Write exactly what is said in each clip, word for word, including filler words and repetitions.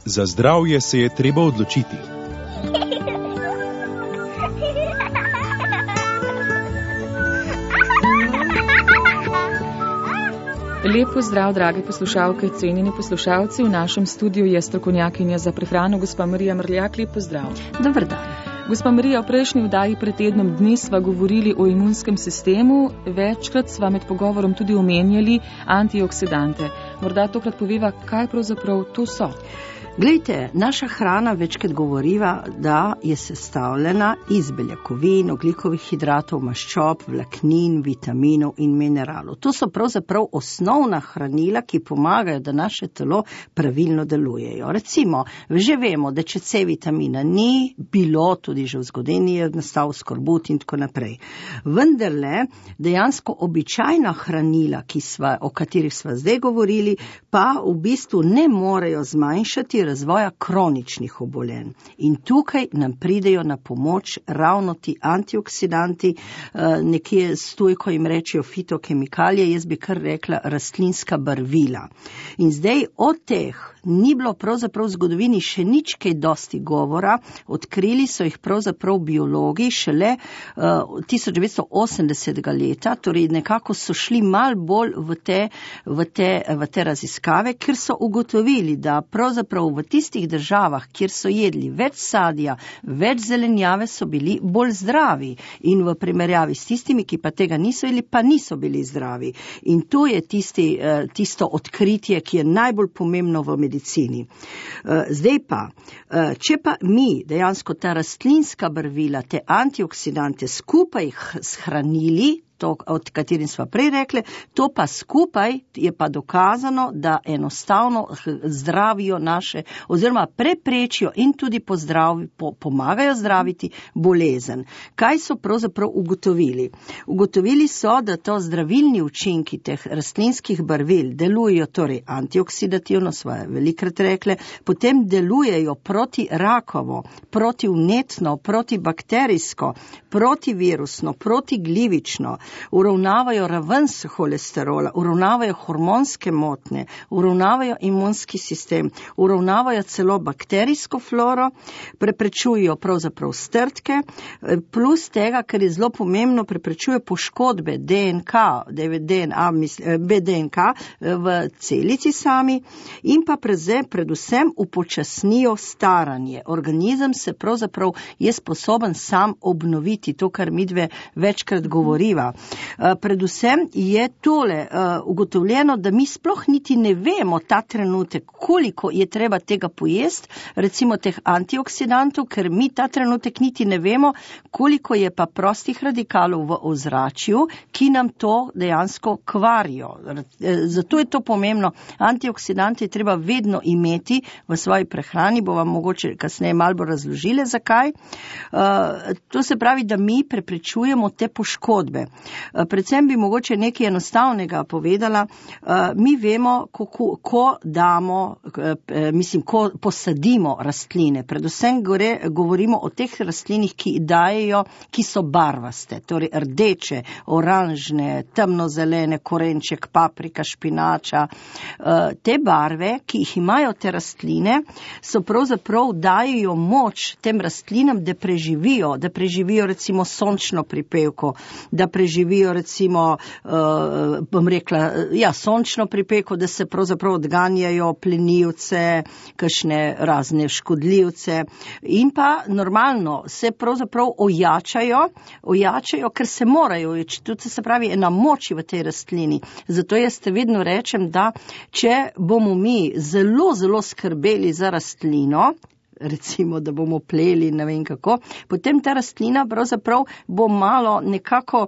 Za zdravje se je treba odločiti. Lep pozdrav, drage poslušalke, cenjeni poslušalci. V našem studiu je strokovnjakinja za prehrano, gospa Marija Mrljak. Lep pozdrav. Dober dan. Gospa Marija, v prejšnji vdaji pred tednom dni sva govorili o imunskem sistemu. Večkrat sva med pogovorom tudi omenjali antioksidante. Morda tokrat poveva, kaj pravzaprav to so. Glejte, naša hrana večkrat govoriva, da je sestavljena iz beljakovin, ogljikovih hidratov, maščob, vlaknin, vitaminov in mineralov. To so pravzaprav osnovna hranila, ki pomagajo, da naše telo pravilno delujejo. Recimo, že vemo, da če C vitamina ni bilo, tudi že v zgodovini je nastal skorbut in tako naprej. Vendarle, dejansko običajna hranila, ki sva, o katerih sva zdaj govorili, pa v bistvu ne morejo zmanjšati razvoja kroničnih obolenj. In tukaj nam pridejo na pomoč ravno ti antioksidanti, nekje stojko jim rečejo fitokemikalije, jaz bi kar rekla rastlinska barvila. In zdaj od teh ni bilo pravzaprav v zgodovini še nič kaj dosti govora, odkrili so jih pravzaprav biologi šele uh, tisoč devetsto osemdesetega leta, torej nekako so šli mal bolj v te, v te, v te raziskave, ker so ugotovili, da pravzaprav v tistih državah, kjer so jedli več sadja, več zelenjave, so bili bolj zdravi in v primerjavi s tistimi, ki pa tega niso jedli, pa niso bili zdravi. In to je tisti, uh, tisto odkritje, ki je najbolj pomembno v medicini. Zdaj pa, če pa mi dejansko ta rastlinska barvila, te antioksidante skupaj shranili, to, od katerim sva prej rekli, to pa skupaj je pa dokazano, da enostavno zdravijo naše, oziroma preprečijo in tudi pozdravi, po, pomagajo zdraviti bolezen. Kaj so pravzaprav ugotovili? Ugotovili so, da to zdravilni učinki teh rastlinskih barvil delujejo torej antioksidativno, sva velikrat rekli, potem delujejo proti rakovo, proti vnetno, proti bakterijsko, protivirusno, protiglivično, uravnavajo raven holesterola, uravnavajo hormonske motnje, uravnavajo imunski sistem, uravnavajo celo bakterijsko floro, preprečujejo pravzaprav strtke, plus tega, ker je zelo pomembno, preprečuje poškodbe D N K, D N A, B D N K v celici sami in pa predvsem upočasnijo staranje. Organizem se pravzaprav je sposoben sam obnoviti, to, kar midve večkrat govoriva. Predvsem je tole ugotovljeno, da mi sploh niti ne vemo ta trenutek, koliko je treba tega pojesti, recimo teh antioksidantov, ker mi ta trenutek niti ne vemo, koliko je pa prostih radikalov v ozračju, ki nam to dejansko kvarijo. Zato je to pomembno. Antioksidante je treba vedno imeti v svoji prehrani, bo vam mogoče kasneje malo bolj razložile, zakaj. To se pravi, da mi preprečujemo te poškodbe. Predvsem bi mogoče nekaj enostavnega povedala. Mi vemo, ko, ko damo, mislim, ko posadimo rastline. Predvsem gore, govorimo o teh rastlinih, ki dajejo, ki so barvaste, torej rdeče, oranžne, temnozelene, korenček, paprika, špinača. Te barve, ki jih imajo te rastline, so pravzaprav dajejo moč tem rastlinam, da preživijo, da preživijo recimo sončno pripevko, da preživijo recimo, uh, bom rekla, ja, sončno pripeko, da se pravzaprav odganjajo plenilce, kakšne razne škodljivce in pa normalno se pravzaprav ojačajo, ojačajo, ker se morajo, tudi se pravi ena moč v tej rastlini. Zato jaz te vedno rečem, da če bomo mi zelo, zelo skrbeli za rastlino, recimo, da bomo pleli, ne vem kako, potem ta rastlina pravzaprav bo malo nekako,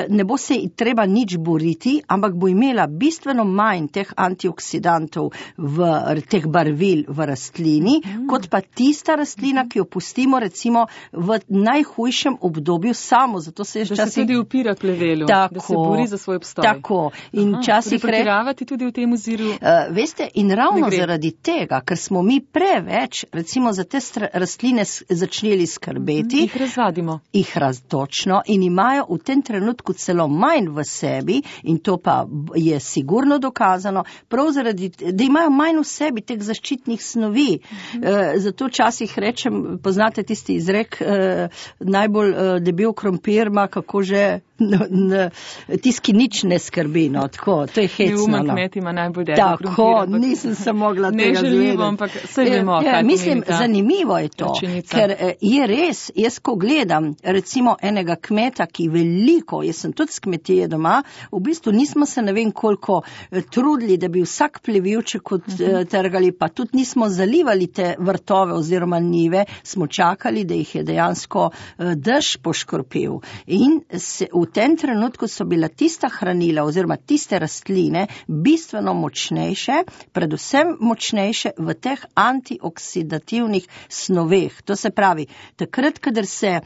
ne bo se treba nič boriti, ampak bo imela bistveno manj teh antioksidantov v teh barvil v rastlini, mm. kot pa tista rastlina, ki jo pustimo recimo v najhujšem obdobju samo. Zato se da časih... se tudi upira plevelu, tako, da se bori za svoj obstoj. Tako. In Aha, časih pretiravati tudi v tem oziru? Uh, veste, in ravno zaradi tega, ker smo mi preveč, recimo bomo za te rastline začeli skrbeti, jih razvadimo. Jih raztočno in imajo v tem trenutku celo manj v sebi, in to pa je sigurno dokazano, prav zaradi, da imajo manj v sebi teh zaščitnih snovi. Mhm. E, zato časih rečem, poznate tisti izrek, e, najbolj e, debel krompir ima, kako že tisti, ki nič ne skrbi, no, tako, to je hecno. Neumen kmet ima najbolj debel krompir. Tako, nisem se mogla tega zvedeti. Neželjivo, ampak vse vemo, je, kaj mislim, ta zanimivo je to, račenica. Ker je res, jaz ko gledam recimo enega kmeta, ki veliko, jaz sem tudi s kmetije doma, v bistvu nismo se ne vem koliko trudili, da bi vsak plevivček odtrgali, pa tudi nismo zalivali te vrtove oziroma njive, smo čakali, da jih je dejansko dež poškropil. In se, v tem trenutku so bila tista hranila oziroma tiste rastline bistveno močnejše, predvsem močnejše v teh antioksidativnih snoveh. To se pravi, takrat, kadar se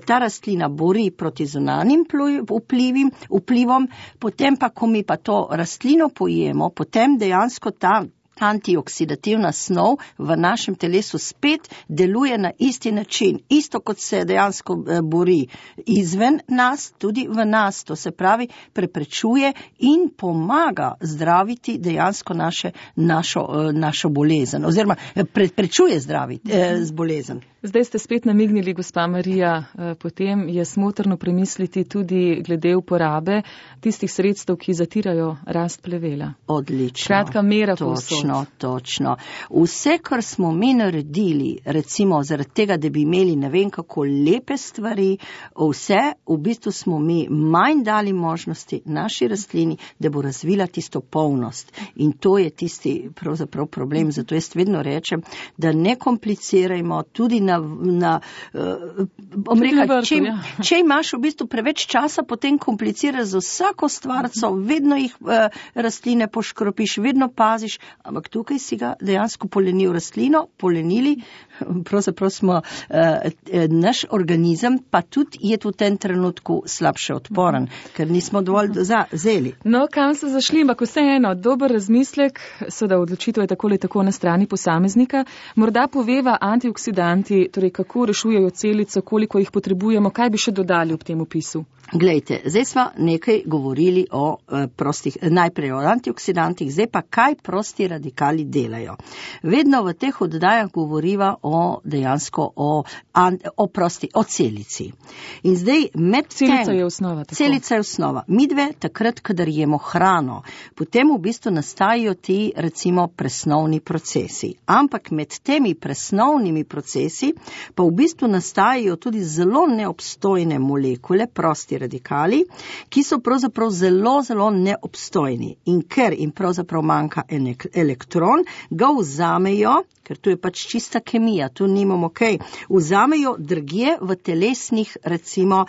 ta rastlina bori proti zunanjim vplivim, vplivom, potem pa, ko mi pa to rastlino pojemo, potem dejansko ta antioksidativna snov v našem telesu spet deluje na isti način. Isto kot se dejansko bori izven nas, tudi v nas. To se pravi, preprečuje in pomaga zdraviti dejansko naše, našo, našo bolezen. Oziroma, preprečuje zdraviti eh, z bolezen. Zdaj ste spet namignili, gospa Marija, potem je smotrno premisliti tudi glede uporabe tistih sredstev, ki zatirajo rast plevela. Odlično. Kratka mera povsod. Točno, točno. Vse, kar smo mi naredili, recimo zaradi tega, da bi imeli ne vem kako lepe stvari, vse, v bistvu smo mi manj dali možnosti naši rastlini, da bo razvila tisto polnost. In to je tisti pravzaprav problem. Zato jaz vedno rečem, da ne komplicirajmo tudi na, na uh, bom rekla, vrtu, če, ja. če imaš v bistvu preveč časa, potem kompliciraš za vsako stvarco, vedno jih uh, rastline poškropiš, vedno paziš, ampak tukaj si ga dejansko polenil rastlino, polenili, pravzaprav smo uh, naš organizem, pa tudi je v tem trenutku slabše odporen, ker nismo dovolj zeli. No, kam so zašli, ampak vseeno, dober razmislek, seveda odločitev je tako ali tako na strani posameznika, morda poveva antioksidanti, torej kako rešujejo celico, koliko jih potrebujemo, kaj bi še dodali ob tem opisu? Glejte, zdaj smo nekaj govorili o uh, prostih, najprej o antioksidantih, zdaj pa kaj prosti radikali delajo. Vedno v teh oddajah govoriva o dejansko o, an, o prosti, o celici. In zdaj med Celica tem, je osnova. Tako. Celica je osnova. Midve takrat, kadar jemo hrano, potem v bistvu nastajajo ti recimo presnovni procesi. Ampak med temi presnovnimi procesi pa v bistvu nastajajo tudi zelo neobstojne molekule, prosti radikali, ki so pravzaprav zelo, zelo neobstojni. In ker jim pravzaprav manjka elektron, ga vzamejo, ker tu je pač čista kemija, tu nimamo kaj, vzamejo drugje v telesnih, recimo,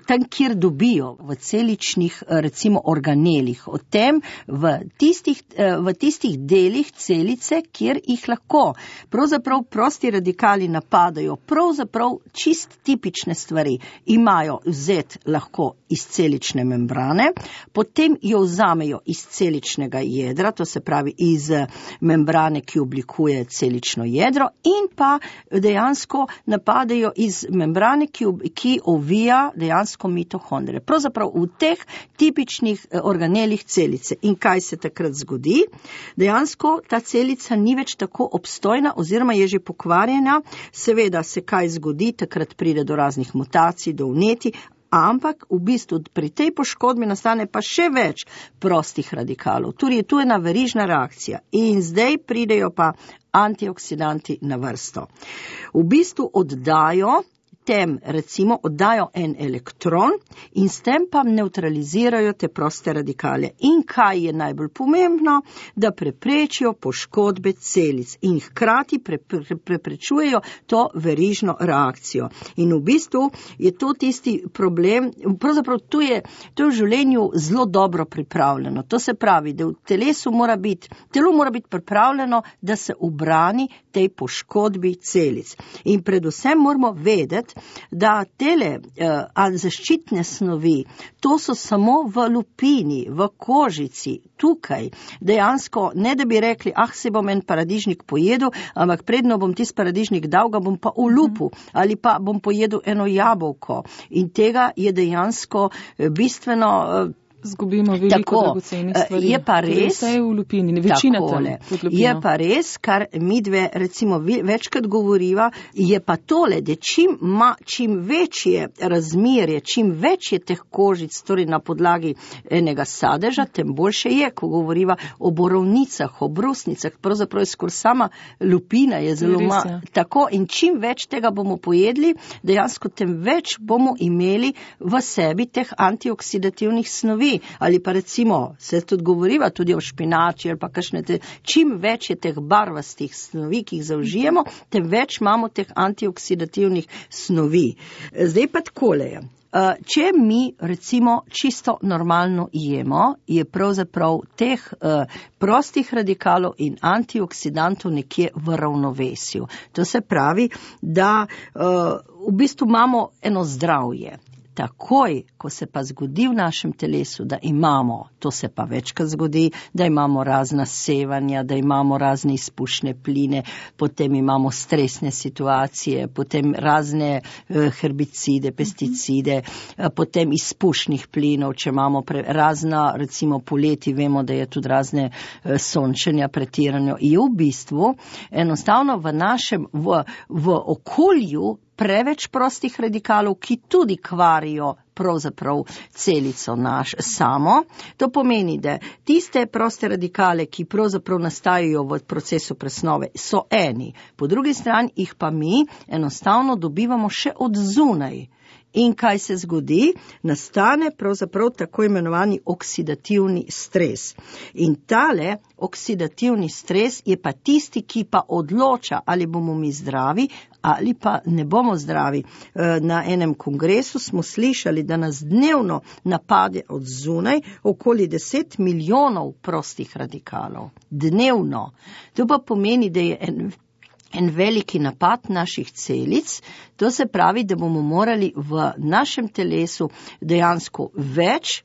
tam, kjer dobijo, v celičnih, recimo, organelih. O tem v tistih, v tistih delih celice, kjer jih lahko. Pravzaprav prosti radikali napadajo, pravzaprav čist tipične stvari. Imajo vzet lahko iz celične membrane, potem jo vzamejo iz celičnega jedra, to se pravi iz membrane, ki oblikuje celično jedro, in pa dejansko napadajo iz membrane, ki, ki ovija dejansko mitohondrije. Pravzaprav v teh tipičnih organelih celice. In kaj se takrat zgodi? Dejansko ta celica ni več tako obstojna oziroma je že pokvarjena. Seveda se kaj zgodi, takrat pride do raznih mutacij, do vnetij, ampak v bistvu pri tej poškodbi nastane pa še več prostih radikalov. Torej, tu je ena verižna reakcija in zdaj pridejo pa antioksidanti na vrsto. V bistvu oddajo tem, recimo, oddajo en elektron in s tem pa neutralizirajo te proste radikale. In kaj je najbolj pomembno? Da preprečijo poškodbe celic in hkrati pre, pre, preprečujejo to verižno reakcijo. In v bistvu je to tisti problem, pravzaprav tu je, to je v življenju zelo dobro pripravljeno. To se pravi, da v telesu mora biti, telo mora biti pripravljeno, da se ubrani tej poškodbi celic. In predvsem moramo vedeti, da tele uh, zaščitne snovi, to so samo v lupini, v kožici, tukaj. Dejansko, ne da bi rekli, ah, se bom en paradižnik pojedel, ampak predno bom tisti paradižnik dal, ga bom pa ulupu, ali pa bom pojedel eno jabolko. In tega je dejansko bistveno uh, Zgubimo veliko dragocenih stvari. Je pa res, vse je v lupini, večina tam pod lupino. Je pa res, kar mi dve recimo večkrat govoriva, je pa tole, da čim, ma, čim večje razmerje, čim več je teh kožic, torej na podlagi enega sadeža, tem boljše je, ko govoriva o borovnicah, o brusnicah, pravzaprav je skoraj sama lupina je zelo ma, tako in čim več tega bomo pojedli, dejansko tem več bomo imeli v sebi teh antioksidativnih snovi. Ali pa recimo, se tudi govoriva tudi o špinači ali pa kakšne te, čim več je teh barvastih snovi, ki jih zaužijemo, tem več imamo teh antioksidativnih snovi. Zdaj pa takole je. Če mi recimo čisto normalno jemo, je pravzaprav teh uh, prostih radikalov in antioksidantov nekje v ravnovesju. To se pravi, da uh, v bistvu imamo eno zdravje. Takoj, ko se pa zgodi v našem telesu, da imamo, to se pa večkrat zgodi, da imamo razna sevanja, da imamo razne izpušne pline, potem imamo stresne situacije, potem razne herbicide, pesticide, potem izpušnih plinov, če imamo pre, razna, recimo poleti, vemo, da je tudi razne sončenja pretirano. Je v bistvu enostavno v našem, v, v okolju preveč prostih radikalov, ki tudi kvarijo pravzaprav celico naš samo. To pomeni, da tiste proste radikale, ki pravzaprav nastajajo v procesu presnove, so eni. Po drugi strani jih pa mi enostavno dobivamo še od zunaj. In kaj se zgodi? Nastane pravzaprav tako imenovani oksidativni stres. In tale oksidativni stres je pa tisti, ki pa odloča, ali bomo mi zdravi ali pa ne bomo zdravi. Na enem kongresu smo slišali, da nas dnevno napade od zunaj okoli deset milijonov prostih radikalov. Dnevno. To pa pomeni, da je en En veliki napad naših celic, to se pravi, da bomo morali v našem telesu dejansko več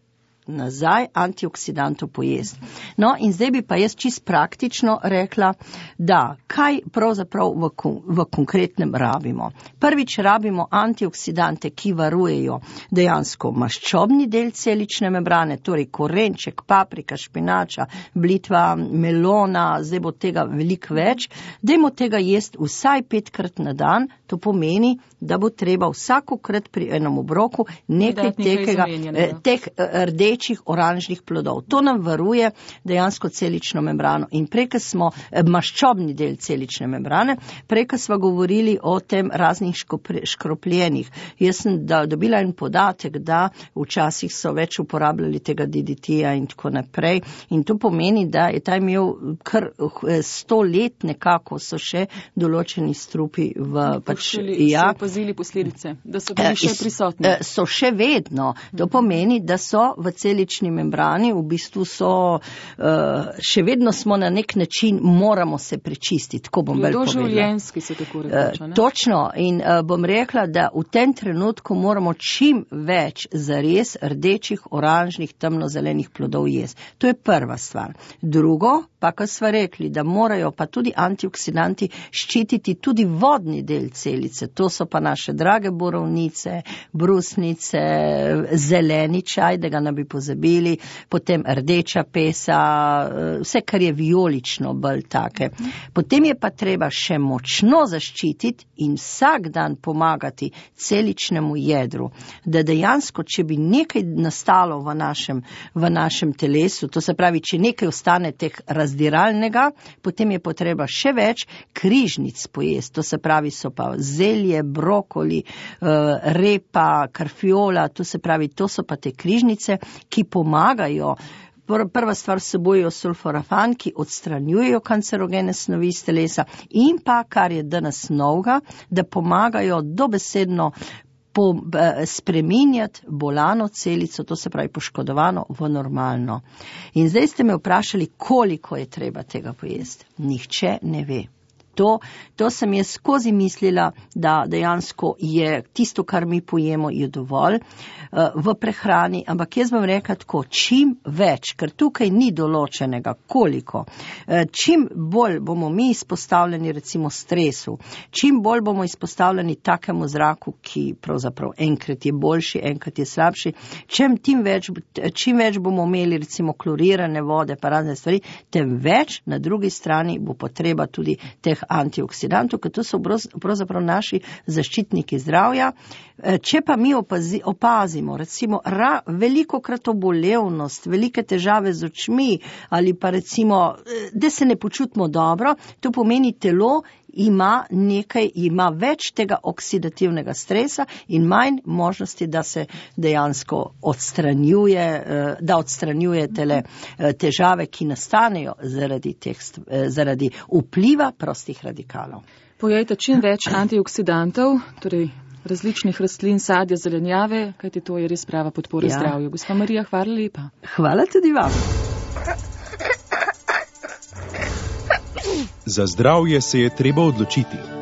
nazaj antioksidantov pojesti. No, in zdaj bi pa jaz čist praktično rekla, da kaj pravzaprav v, v konkretnem rabimo. Prvič rabimo antioksidante, ki varujejo dejansko maščobni del celične membrane, torej korenček, paprika, špinača, blitva, melona, zdaj bo tega veliko več. Dajmo tega jesti vsaj petkrat na dan, to pomeni, da bo treba vsakokrat pri enem obroku nekaj tekega, teh rdečih, oranžnih plodov. To nam varuje dejansko celično membrano. In preka smo, maščobni del celične membrane, preka smo govorili o tem raznih škropljenih. Jaz sem da, dobila en podatek, da včasih so več uporabljali tega D D T-ja in tako naprej. In to pomeni, da je ta imel kar sto let nekako so še določeni strupi v pač, ja, opazili posledice, da so bili še prisotni. So še vedno. To pomeni, da so v celični membrani, v bistvu so, še vedno smo na nek način, moramo se prečistiti, tako bom bolj povedala. Doživljenjski se tako rekoča, ne? Točno. In bom rekla, da v tem trenutku moramo čim več zares rdečih, oranžnih, temnozelenih plodov jesti. To je prva stvar. Drugo, pa kar sva rekli, da morajo pa tudi antioksidanti ščititi tudi vodni del celice. To so pa naše drage borovnice, brusnice, zeleni čaj, da ga ne bi pozabili, potem rdeča pesa, vse, kar je vijolično, bolj take. Potem je pa treba še močno zaščititi in vsak dan pomagati celičnemu jedru, da dejansko, če bi nekaj nastalo v našem, v našem telesu, to se pravi, če nekaj ostane teh razdiralnega, potem je potreba še več križnic pojesti. To se pravi, so pa zelje, brokoli, repa, karfiola, to se pravi, to so pa te križnice, ki pomagajo. Prva stvar vsebujejo sulforafan, ki odstranjujejo kancerogene snovi iz telesa in pa, kar je danes novega, da pomagajo dobesedno po, spreminjati bolano celico, to se pravi poškodovano, v normalno. In zdaj ste me vprašali, koliko je treba tega pojesti. Nihče ne ve. To, to sem jaz skozi mislila, da dejansko je tisto, kar mi pojemo, je dovolj uh, v prehrani, ampak jaz bom rekla tako, čim več, ker tukaj ni določenega, koliko, uh, čim bolj bomo mi izpostavljeni recimo stresu, čim bolj bomo izpostavljeni takemu zraku, ki pravzaprav enkrat je boljši, enkrat je slabši, čim, tim več, čim več bomo imeli recimo klorirane vode pa razne stvari, tem več na drugi strani bo potreba tudi teh antioksidantov, ker to so pravzaprav naši zaščitniki zdravja. Če pa mi opazi, opazimo, recimo, ra, veliko krat obolevnost, velike težave z očmi ali pa recimo, da se ne počutimo dobro, to pomeni telo ima nekaj, ima več tega oksidativnega stresa in manj možnosti, da se dejansko odstranjuje, da odstranjuje tele težave, ki nastanejo zaradi, teh, zaradi vpliva prostih radikalov. Pojejte čim več antioksidantov, torej različnih rastlin, sadja, zelenjave, kajti to je res prava podpora ja. zdravju. Gospa Marija, hvala lepa. Hvala tudi vam. Za zdravje se je treba odločiti.